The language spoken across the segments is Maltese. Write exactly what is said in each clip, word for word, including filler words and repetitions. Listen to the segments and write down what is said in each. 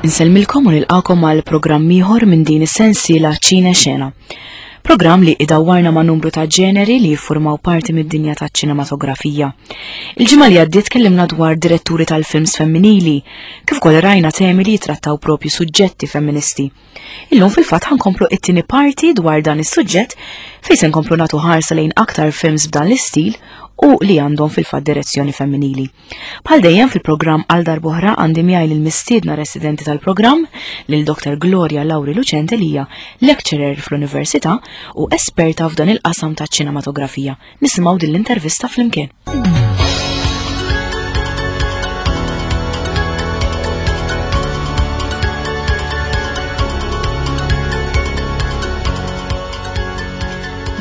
Insellmilkom u nilqakom għal programm ieħor minn din is-sensiela Ċine Xena. Programm li idawwarna ma' numru ta' ġeneri li jiffurmaw parti mid-dinja taċ-ċinematografija. Il-ġimgħa li għaddiet tkellimna dwar diretturi tal-films femminili, kif ukoll rajna temi li jitrattaw propju suġġetti femministi. Illum fil-fatt ħankomplu it-tieni parti dwar dan is-suġġett fejn se nkomplu nagħtu ħarsa lejn aktar films b'dan l-istil u li għandhom fil-fatt direzzjoni femminili. Bħal dejjem fil-programm għal darb'oħra għandi miegħi lil mistiedna residenti tal-programm lil Dr. Gloria Lauri Lucente li hija lecturer fl-Università u esperta f'dan il-qasam taċ-ċinematografija. Nisimgħu din l-intervista flimkien.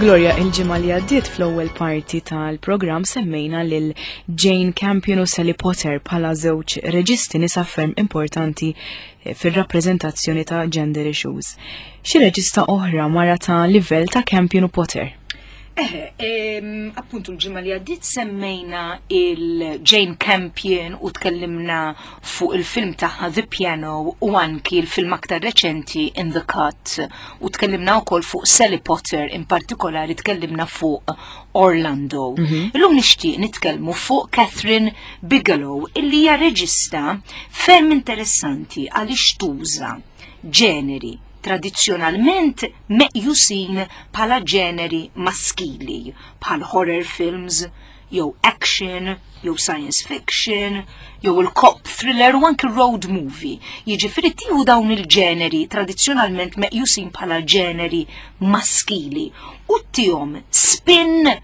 Gloria, il-ġimgħa li għaddiet fl-ewwel parti tal-programm semmejna lil Jane Campion u Sally Potter bħala żewġ reġisti nisa ferm importanti eh, fir-rappreżentazzjoni ta' gender issues. Xi reġista oħra mara ta' livell ta' Campion u Potter? Eħe, appuntu l-ġimgħa li għaddiet semmejna il-Jane Campion u tkellimna fuq il-film tagħha The Piano u anki l-film aktar reċenti In the Cut u tkellimna wkoll fuq Sally Potter in partikolari tkellimna fuq Orlando. Mhm. Illum nixtieq nitkellmu fuq Kathryn Bigelow illi hija reġista ferm interessanti għaliex tuża ġeneri tradizzjonalment meqjusin bħala ġeneri maskili, bħal horror films, jew action, jew science fiction, jew il-cop thriller u anki road movie. Jiġifieri tieħu dawn il-ġeneri tradizzjonalment meqjusin bħala ġeneri maskili u ttihom spin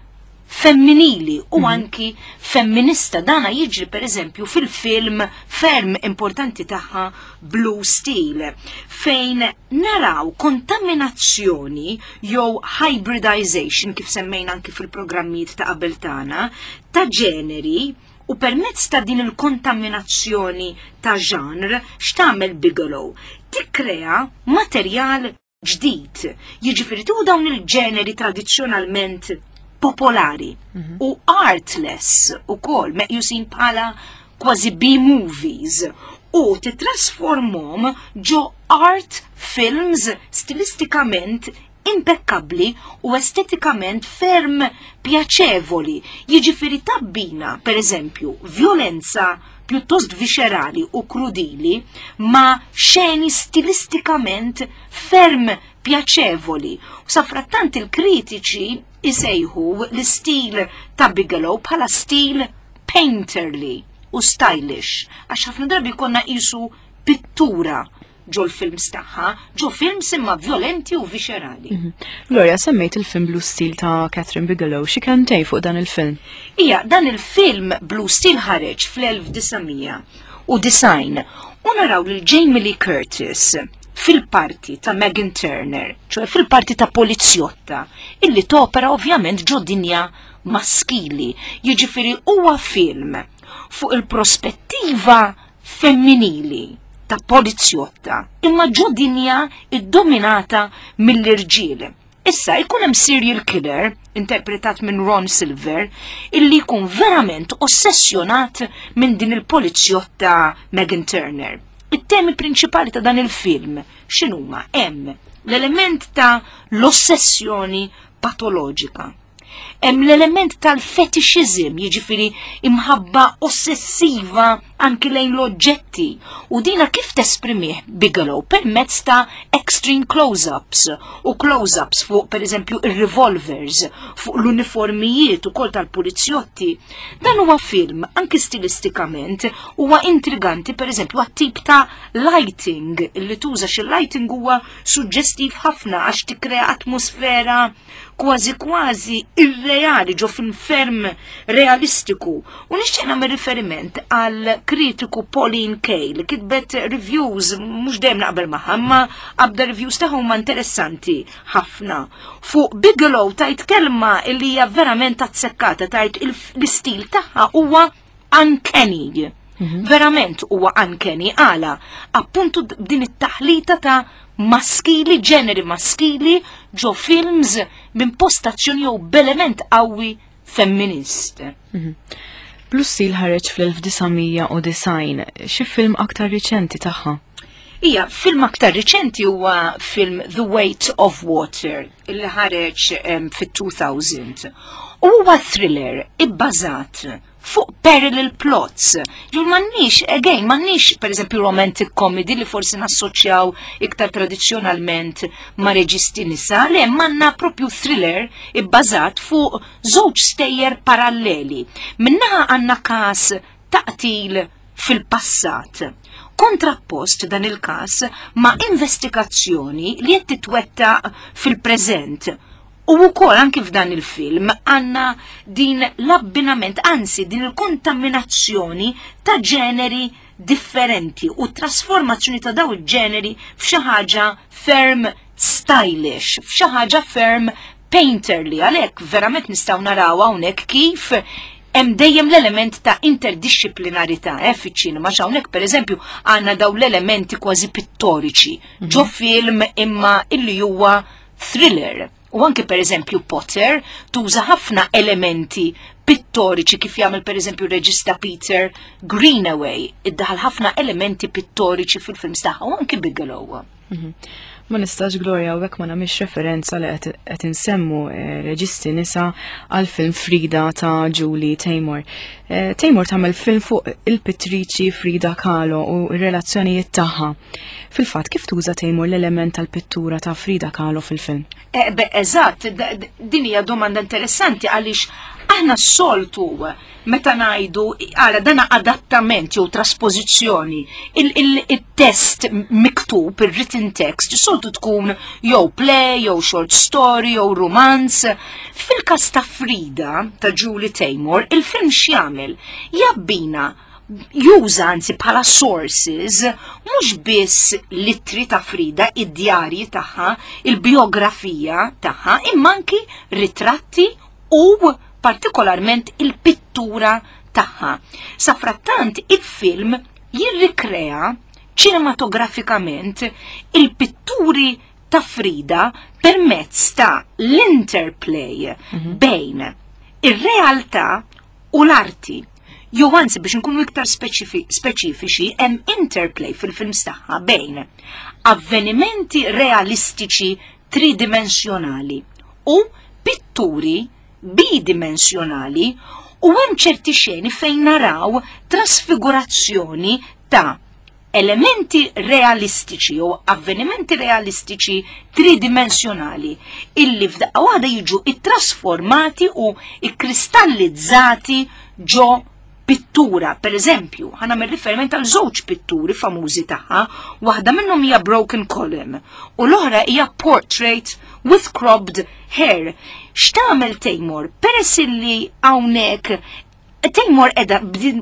femminili u mhm. anki femminista. Dana jiġri per eżempju fil-film ferm importanti tagħha Blue Steel, fejn naraw kontaminazzjoni jew hybridization kif semmejna anki fil-programmijiet ta' qabel tagħna ta' ġeneri u permezz ta' din il-kontaminazzjoni ta' genre x'tagħmel Bigelow? Tikkrea materjal ġdid. Jiġifieri tu dawn il-ġeneri tradizzjonalment popolari mhm. u artless u kol meqjusin bħala kważi B-movies u titrasformom ġo art films stilistikament impeccabli u estetikament ferm pjaċevoli. Jiġifieri tabbina, per eżempju, violenza pjuttost viscerali u krudili ma xeni stilistikament ferm pjaċevoli. U safrattant il-kritiċi isejħu l-istil ta' Bigelow bħala stil painterly u stylish, għax ħafna drabi konna qisu pittura ġol films tagħha, ġo films imma violenti u viscerali. Mhm. Gloria, semmejt il-film Blue Steel ta' Kathryn Bigelow, xi kemm tgħid fuq dan il-film? Ija, dan il-film Blue Steel ħareġ fl-elf disa' mija u disgħin u naraw lil Jamie Lee Curtis fil-parti ta' Megan Turner, ċoħe fil-parti ta' polizjotta, illi topera ovvjament ġo dinja maskili. Jiġifieri huwa film fuq il-prospettiva femminili ta' polizjotta, imma ġo dinja iddominata mill-irġiel. Issa jkun hemm serial killer, interpretat minn Ron Silver, illi jkun verament ossessjonat minn din il-polizjotta Megan Turner. It-temi prinċipali ta' dan il-film x'inhuma? Hemm l-element ta' l-ossessjoni patoloġika. Hemm l-element tal-fetishizm, jiġifieri imħabba ossessiva anki lejn l-oġġetti. U dina kif tesprimih Bigelow permezz ta' extreme close-ups u close-ups fuq pereżempju ir-revolvers, fuq l-uniformijiet ukoll tal-pulizjotti. Dan huwa film anki stilistikament huwa intriganti pereżempju għat-tip ta' lighting li tuża, xi lighting huwa suġġestiv ħafna għax tikkrea atmosfera kważi kważi irreali ġo film ferm realistiku. U nixtieq nagħmel riferiment għal kritiku Pauline Kael li kitbet reviews mhux dejjem naqbel magħha, imma qabda reviews tagħha huma interessanti ħafna. Fuq Bigelow tajt kelma li hija verament azzekkata, tajt il-, l-istil tagħha huwa uncanny. Mhm. Verament huwa uncanny għala appuntu d-, din it-taħlita ta' maskili, ġeneri maskili ġo films minn postazzjoni jew b'element qawwi femminist. Mhm. Blue Steel ħareġ fl-elf disa' mija u disgħin, xi film aktar riċenti tagħha? Ija, film aktar riċenti huwa film The Weight of Water, illi ħareġ um, fit-elfejn. U huwa thriller ibbażat fuq parallel plots. Ġur m'għandniex, again, m'għandniex per eżempju romantic comedy li forsi nassoċjaw iktar tradizzjonalment ma' reġisti nisa, le għandna propju thriller ibbażat fuq żewġ stejjer paralleli. Minn naħa għandna kas ta' qtil fil-passat. Kontrappost dan il-kas ma' investigazzjoni li qed titwettaq fil-preżent. U wkoll anki f'dan il-film għandna din l-abbinament, anzi din il-kontaminazzjoni ta' ġeneri differenti u trasformazzjoni ta' daw il-ġeneri f'xi ħaġa ferm stylish, f'xi ħaġa ferm painterly, għalhekk verament nistgħu naraw hawnhekk kif hemm dejjem l-element ta' interdisciplinarità eh, fiċ-ċinema, hawnhekk pereżempju għandna daw l-elementi kważi pittoriċi ġo film imma illi huwa thriller. U anke pereżempju Potter tuża ħafna elementi pittoriċi kif jagħmel pereżempju reġista Peter Greenaway, iddaħal ħafna elementi pittoriċi fil-films tagħha u anke Bigelow. Ma nistax, Gloria, u ma nagħmilx referenza li qed insemmu eh, reġisti nisa għal film Frida ta' Julie Taymor. Eh, Taymor tagħmel film fuq il-pittriċi Frida Kahlo u r-relazzjonijiet tagħha. Fil-fatt, kif tuża Taymor l-element tal-pittura ta' Frida Kahlo fil-film? Eh, be, eżatt, din hija domanda interessanti għaliex aħna s-soltu meta ngħidu għara dana adattament jew traspożizzjoni, il-test miktub, il-written text, soltu tkun jew play, jew short story, jew romance. Fil-kas ta' Frida ta' Julie Taymor, il-film x'jagħmel? Jabbina, juża anzi bħala sources mhux biss l-ittri ta' Frida, id-djarji tagħha, il-biografija tagħha, imma anki ritratti u partikolarment il-pittura tagħha. Safrattant il-film jirrikrea ċinematografikament il-pitturi ta' Frida permezz ta' l-interplay bejn ir-realtà u l-arti. Jew anzi biex nkunu iktar speċifiċi, hemm interplay fil-films tagħha bejn avvenimenti realistiċi tridimensjonali u pitturi bidimensjonali, u hemm ċerti xeni fejn naraw trasfigurazzjoni ta' elementi realistiċi u avvenimenti realistiċi tridimensjonali illi f'daqqa waħda jiġu ittrasformati u ikkristallizzati ġo pittura. Per eżempju, ħa nagħmel riferiment għal żewġ pitturi famużi tagħha, waħda minnhom hija Broken Column u l-oħra hija Portrait with Cropped Hair. X'tagħmel Taymor? Peress illi hawnhekk Taymor edha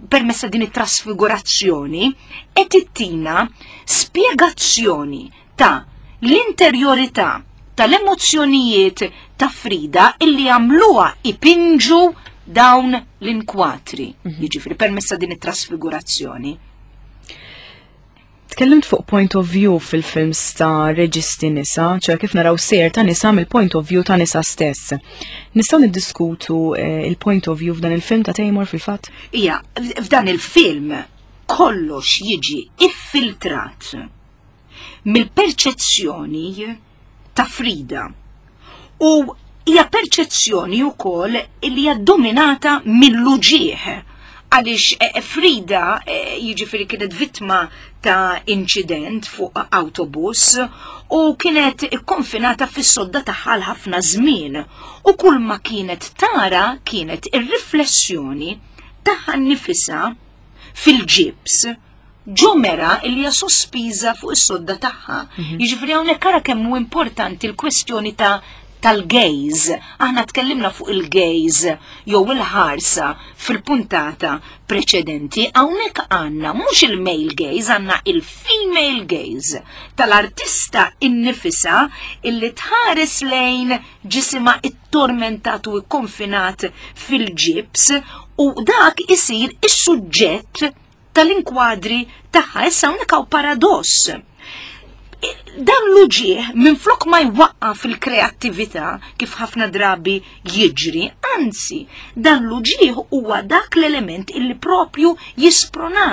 permessa din it-trasfigurazzjoni qed ittina spjegazzjoni ta' l-interjorità tal-emozzjonijiet ta' Frida illi għamluha ipinġu dawn l-inkwatri, mhm. jiġifieri permessa din it-trasfigurazzjoni. Tkellimt fuq point of view fil-films ta' reġisti nisa, ċe kif naraw sejjer ta' nisa mill-point of view ta' nisa stess. Nistgħu niddiskutu eh, il-point of view f'dan il-film ta' Taymor fil-fatt? Ija, f'dan il-film kollox jiġi iffiltrat mill-perċezzjoni ta' Frida. U hija perċezzjoni wkoll li hija dominata mill-uġieħ għaliex eh, eh, Frida eh, jiġifieri kienet vittma ta' incident fuq autobus u kienet ikkonfinata fis-sodda tagħha ħafna żmien u kull ma kienet tara kienet ir-riflessjoni tagħha nnifisha fil-ġibs ġo mera li hija sospiża fuq is-sodda tagħha. Mhm. Jiġifieri hawnhekk ara kemm hu importanti l-kwestjoni ta' tal-gaze. Aħna tkellimna fuq il-gaze jew il-ħarsa fil-puntata preċedenti, hawnhekk għandna mhux il-male gaze, għandna il-female gaze tal-artista innifisa illi tħares lejn ġisima ittormentat u ikkonfinat fil-ġibs u dak isir is-suġġett tal-inkwadri tagħha. Issa hawnhekk hawn paradoss. Dan l-uġieħ minflok ma jwaqqaf fil-kreattività kif ħafna drabi jiġri, anzi, dan l-uġieħ huwa dak l-element illi propju jisprona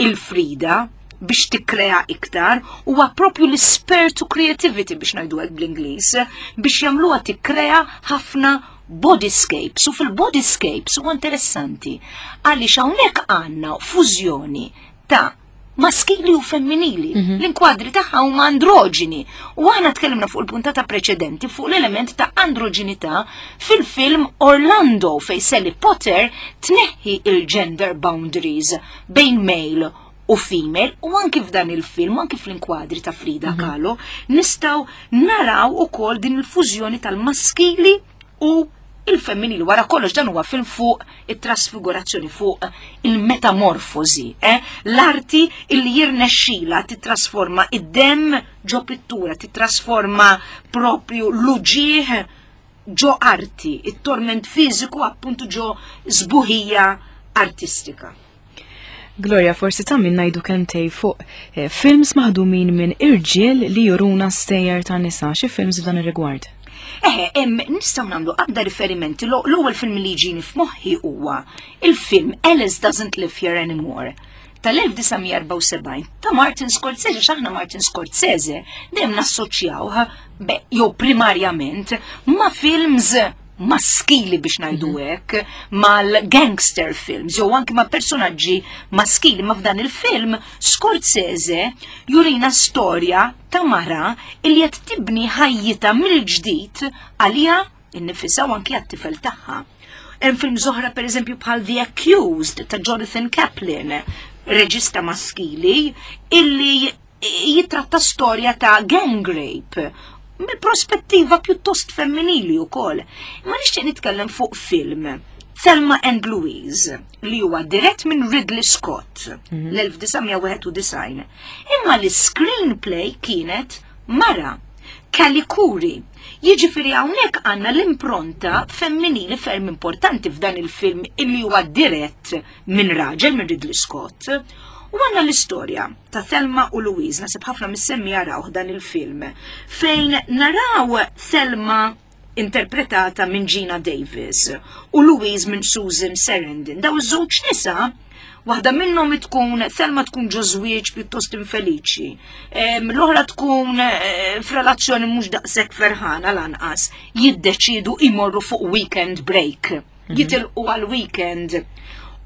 il-Frida biex biex tikkrea iktar, huwa propju l-spur to creativity, biex ngħidu hekk bl-Ingliż, biex jagħmluha tikkrea ħafna bodyscapes. U fil-bodyscapes huwa interessanti għaliex hawnhekk għandna fużjoni ta' maskili u femminili. Mm -hmm. L-inkwadri tagħha huma androġini. U aħna tkellimna fuq il-puntata preċedenti fuq l-element ta' androġinità fil-film Orlando, fej Sally Potter tneħħi il-gender boundaries bejn male u female, u anki f'dan il-film, anki fl-inkwadri ta' Frida mm -hmm. Kahlo, nistgħu naraw ukoll din il-fużjoni tal-maskili u il-femminili. Wara kollox dan huwa film fuq it-trasfigurazzjoni, fuq il-metamorfosi, eh? L-arti illi jirnexxila titrasforma id-dem ġo pittura, titrasforma propju l-uġieħ ġo arti, it-torment fiżiku appuntu ġo sbuħija artistika. Gloria, forsi ta' min ngħidu kelmtejn fuq eh, films maħdumin minn irġiel li juruna stejjer ta' nisa, xi films f'dan ir-rigward? Eħe, em, nistgħu nagħmlu għadda riferimenti. L-ewwel film li jiġini f'moħħi huwa il-film Alice Doesn't Live Here Anymore tal-elf disa' mija erbgħa u sebgħin ta' Martin Scorsese. X'aħna Martin Scorsese dejjem nassoċjawh jew primarjament ma' films maskili, biex ngħidu mhm. hekk, mal-gangster films jew anki ma' personaġġi maskili, ma f'dan il-film Scorsese jurina storja ta' mara illi qed tibni ħajjita mill-ġdid għalija innifisha u anki għat-tifel tagħha. Hemm film oħra, pereżempju, bħal The Accused ta' Jonathan Kaplan, reġista maskili, illi jitratta storja ta' gang rape mill-prospettiva pjuttost femminili wkoll. Ma nixtieq nitkellem fuq film Thelma and Louise, li huwa dirett minn Ridley Scott mhm. l-elf disa' mija wieħed u disgħin. Imma l-screenplay kienet mara, Callie Khouri. Jiġifieri hawnhekk għandna l-impronta femminili ferm importanti f'dan il-film illi huwa dirett minn raġel, minn Ridley Scott. U għandna l-istorja ta' Thelma u Louise, naħseb ħafna mis-semmiegħa raw dan il-film, fejn naraw Thelma interpretata minn Geena Davis u Louise minn Susan Sarandon. Daw iż-żewġ nisa, waħda minnhom tkun Thelma, tkun ġo żwieġ pjuttost infeliċi. L-oħra tkun eh, f'relazzjoni mhux daqshekk ferħana lanqas. Jiddeċidu imorru fuq weekend break. Mhm. Jitilqu għal weekend.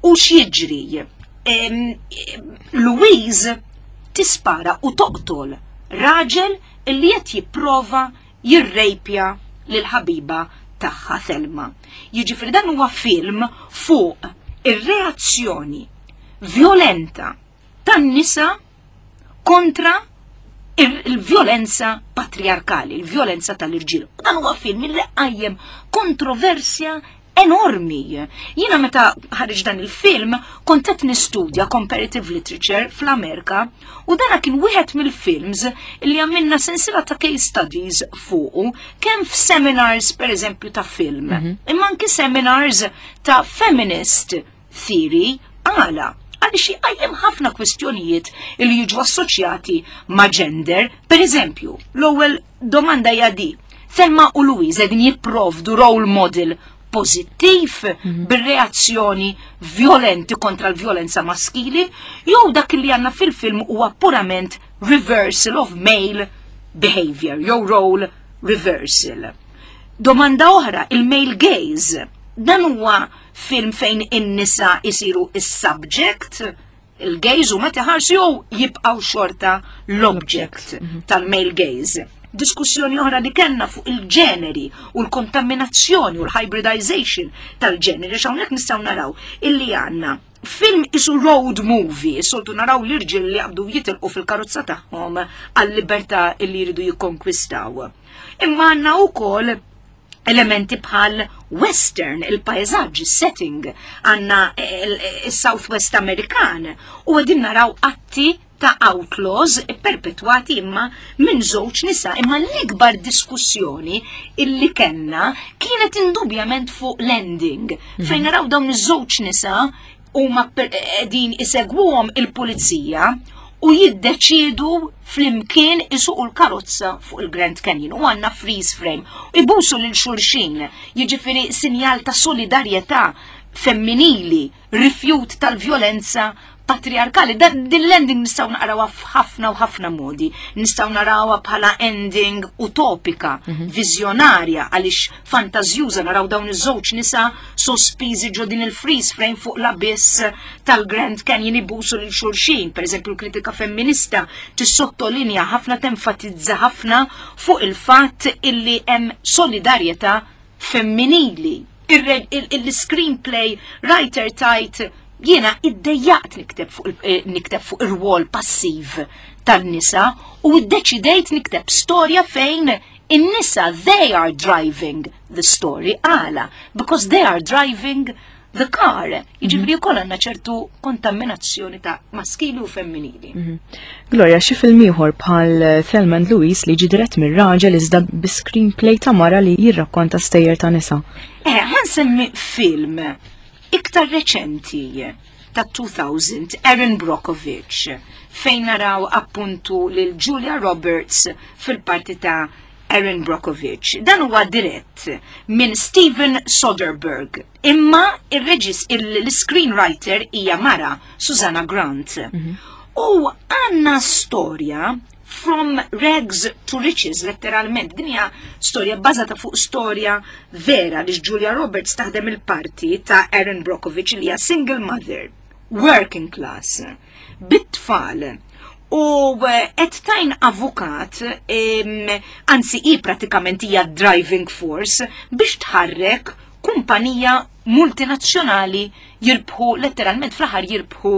U x'jiġri? Louise tispara u toqtol raġel illi qed jipprova jirrejpja lil ħabiba tagħha Thelma. Jiġifieri dan huwa film fuq ir-reazzjoni violenta tan-nisa kontra il-violenza patriarkali, il-violenza tal-irġiel. Dan huwa film li qajjem kontroversja enormi. Jiena meta ħareġ dan il-film kont qed nistudja comparative literature fl-Amerika u dana kien wieħed mill-films li għamilna sensiela ta' case studies fuqu, kemm f'seminars, pereżempju, ta' film, mm -hmm. imma anki seminars ta' feminist theory. Għala? Għaliex jqajjem ħafna kwistjonijiet li jiġu assoċjati ma' gender. Per eżempju, l-ewwel domanda hija di: Thelma u Louise qegħdin jipprovdu role model pozittiv mm -hmm. bir-reazzjoni violenti kontra l-violenza maskili, jew dak li għandna fil-film huwa purament reversal of male behavior jew role reversal? Domanda oħra, il-male gaze. Dan huwa film fejn in-nisa isiru is-subject, il-gaze, u meta ħarsu, jew jibqgħu xorta l-object mhm. tal-male gaze? Diskussjoni oħra li kellna fuq il-ġeneri u l-kontaminazzjoni u l-hybridization tal-ġeneri, x'hawnhekk nistgħu naraw illi għandna film isu road movie, soltu naraw l-irġiel li għabdu jitilqu fil-karozza tagħhom għal-libertà illi jridu jikkonkwistaw. Imma għandna wkoll elementi bħal western, il-pajzaġġ, il-setting, għandna il-Southwest Amerikan u qegħdin naraw atti ta' outlaws perpetwati imma minn żewġ nisa. Imma l-ikbar diskussjoni illi kellna kienet indubjament fuq l-ending, mm. fejn naraw dawn iż-żewġ nisa huma qegħdin isegwuhom il-pulizija u jiddeċidu flimkien isuqu l-karozza fuq il-Grand Canyon u għandna freeze frame. Ibusu lil xulxin, jiġifieri sinjal ta' solidarjetà femminili, rifjut tal-violenza patriarkali. Dan din l-ending nistgħu naqrawha f'ħafna u ħafna modi. Nistgħu narawha bħala ending utopika, viżjonarja, għaliex fantażjuża naraw dawn iż-żewġ nisa sospiżi ġo din il-freeze frame fuq l-abyss tal-Grand Canyon ibusu lil xulxin. Per eżempju, l-kritika femminista tissottolinja ħafna, tenfatizza ħafna fuq il-fatt illi hemm solidarjetà femminili. Il-screenplay writer tgħid, "Jiena iddejjaqt nikteb fuq il- eh, nikteb fuq ir-rwol passiv tan-nisa u iddeċidejt nikteb storja fejn in-nisa, they are driving the story." Għala? Because they are driving the car. Jiġifieri wkoll għandna ċertu kontaminazzjoni ta' maskili u femminili. Gloria, xi film ieħor bħal Thelma and Louise li ġi dirett mir-raġel iżda bi screenplay ta' mara li jirrakkonta stejjer ta' nisa. Eh, ħa nsemmi film iktar reċenti ta' elfejn, Erin Brockovich, fejn naraw appuntu lil Julia Roberts fil-parti ta' Erin Brockovich. Dan huwa dirett minn Steven Soderbergh. Imma il-reġis, il-screenwriter hija mara, Susanna Grant. U għanna storja from rags to riches, letteralment. Din hija storja bbażata fuq storja vera li Julia Roberts taħdem il-parti ta' Erin Brockovich li hija single mother, working class, bit-tfal. U eh, qed tgħin avukat, em, anzi i pratikament hija driving force biex tħarrek kumpanija multinazzjonali jirbħu, letteralment fl-aħħar jirbħu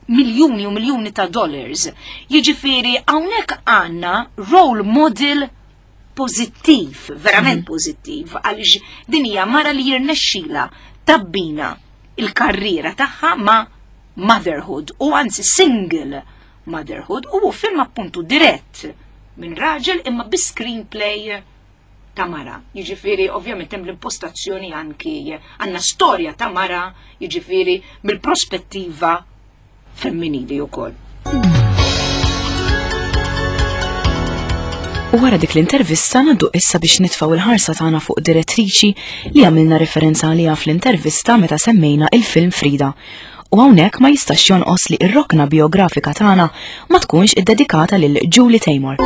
miljuni u miljuni ta' dollars. Jiġifieri hawnhekk għandna role model pozittiv, verament pozittiv, għaliex din hija mara li jirnexxila tabbina il-karriera tagħha ma' motherhood u anzi single motherhood, u film appuntu dirett minn raġel imma bi screenplay ta' mara. Jiġifieri ovvjament hemm l-impostazzjoni, anki għandna storja ta' mara, jiġifieri mill-prospettiva femminili wkoll. U wara dik l-intervista ngħaddu issa biex nitfgħu il-ħarsa tagħna fuq direttriċi li għamilna referenza għaliha fl-intervista meta semmejna il-film Frida. U hawnhekk ma jistax jonqos li ir-rokna biografika tagħna ma tkunx iddedikata lil Julie Taymor.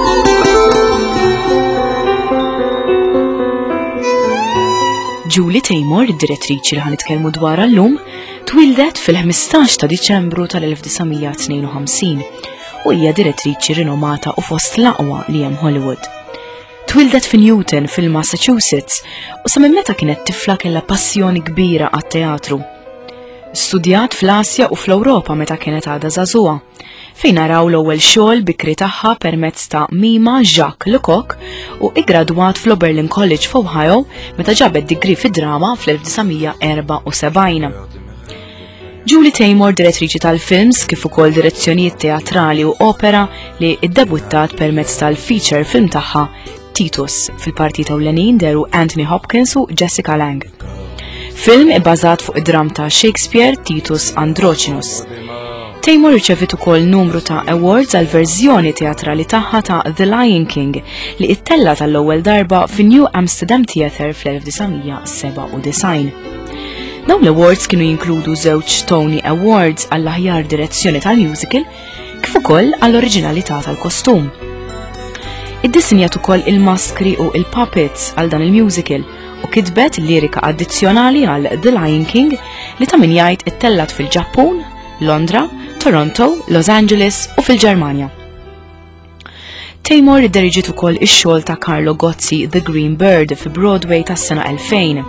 Julie Taymor, id-direttriċi li ħa nitkellmu dwarha llum, twildet fil-ħmistax ta' Diċembru tal-elf disa' mija tnejn u ħamsin u hija direttriċi rinomata u fost l-aqwa li hemm Hollywood. Twildet fi Newton fil-Massachusetts u sa minn meta kienet tifla kellha passjoni kbira għat-teatru. Studjat fl-Asja u fl-Ewropa meta kienet għadha żagħżugħa, fejn naraw l-ewwel xogħol bikri tagħha permezz ta' Mima Jacques Lecoq u iggradwat fl-Oberlin College f'Ohio meta ġabet degree fid-drama fl-elf disa' mija erbgħa u sebgħin. Julie Taymor, direttriċi tal-films kif ukoll direzzjonijiet teatrali u opera, li iddebuttat permezz tal-feature film tagħha Titus. Fil-parti ewlenin dehru Anthony Hopkins u Jessica Lange. Film ibbażat fuq id-dram ta' Shakespeare Titus Andronicus. Taymor riċevit ukoll numru ta' awards għal verżjoni teatrali tagħha ta' The Lion King li ittella tal-ewwel darba fi New Amsterdam Theatre fl-elf disa' mija sebgħa u disgħin. Dawn l-awards kienu jinkludu żewġ Tony Awards għall-aħjar direzzjoni tal-musical kif ukoll għall-oriġinalità tal-kostum. Iddisinjat ukoll il-maskri u il-puppets għal dan il-musical u kitbet lirika addizzjonali għal The Lion King li ta' min jgħid ittellat fil-Ġappun, Londra, Toronto, Los Angeles u fil-Ġermanja. Taymor idderiġiet ukoll ix-xogħol ta' Carlo Gozzi The Green Bird fi Broadway tas-sena elfejn.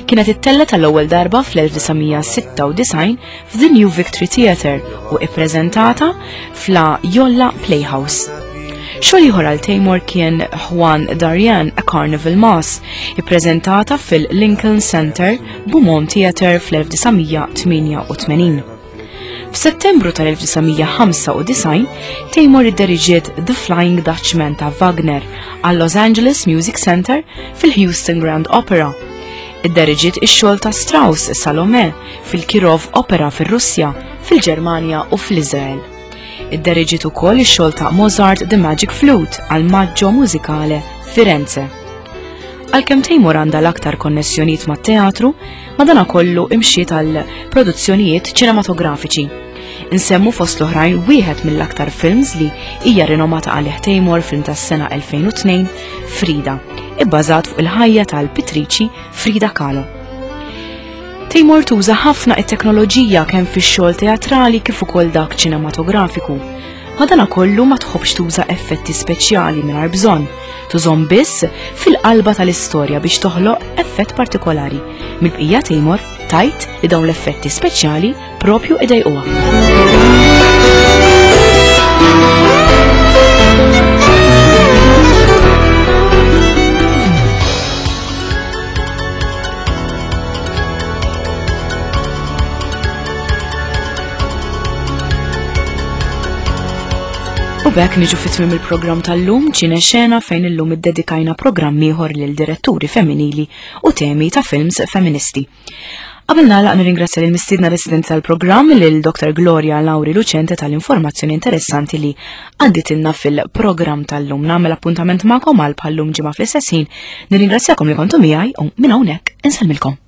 Kienet ittella tal-ewwel darba fl-elf disa' mija sitta u disgħin f'The New Victory Theatre u ippreżentata f'La Jolla Playhouse. Xogħol ieħor għal Taymor kien Juan Darian A Carnival Mass, ippreżentata fil-Lincoln Center Beaumont Theatre fl-elf disa' mija tmienja u tmenin. F'Settembru tal-elf disa' mija ħamsa u disgħin, Taymor idderiġiet The Flying Dutchman ta' Wagner għal Los Angeles Music Center fil-Houston Grand Opera. Idderiġiet ix-xogħol ta' Strauss Salome fil-Kirov Opera fir-Russja, fil-Ġermanja u fl-Iżrael. Idderiġiet ukoll ix-xogħol ta' Mozart The Magic Flute għal Maggio Musicale Firenze. Għalkemm Taymor għandha l-aktar konnessjonijiet mat-teatru, madanakollu imxiet għal produzzjonijiet ċinematografiċi. Nsemmu fost l-oħrajn wieħed mill-aktar films li hija rinomata għalih Taymor, film tas-sena elfejn u tnejn, Frida, ibbażat fuq il-ħajja tal-pittriċi Frida Kahlo. Taymor tuża ħafna it-teknoloġija kemm fix-xogħol teatrali kif ukoll dak ċinematografiku. Madana kollu ma tħobbx tuża effetti speċjali mingħajr bżonn, tużhom biss fil-qalba tal-istorja biex toħloq effett partikolari. Mill-bqija Taymor tgħid li dawn l-effetti speċjali propju idejquha. U b'hekk niġu fi tmiem il-programm tal-lum Ċine Xena, fejn illum iddedikajna programm ieħor lil diretturi femminili u temi ta' films femministi. Qabel nagħlaq, nirringrazzja lil mistiedna residenti tal-programm, lil Doktor Gloria Lauri Lucente, tal-informazzjoni interessanti li għadditilna fil-programm tal-lum. Nagħmel appuntament magħkom għal bħallum ġimgħa fl-istess ħin. Nirringrazzjakom li kontu miegħi u minn hawnhekk insellmilkom.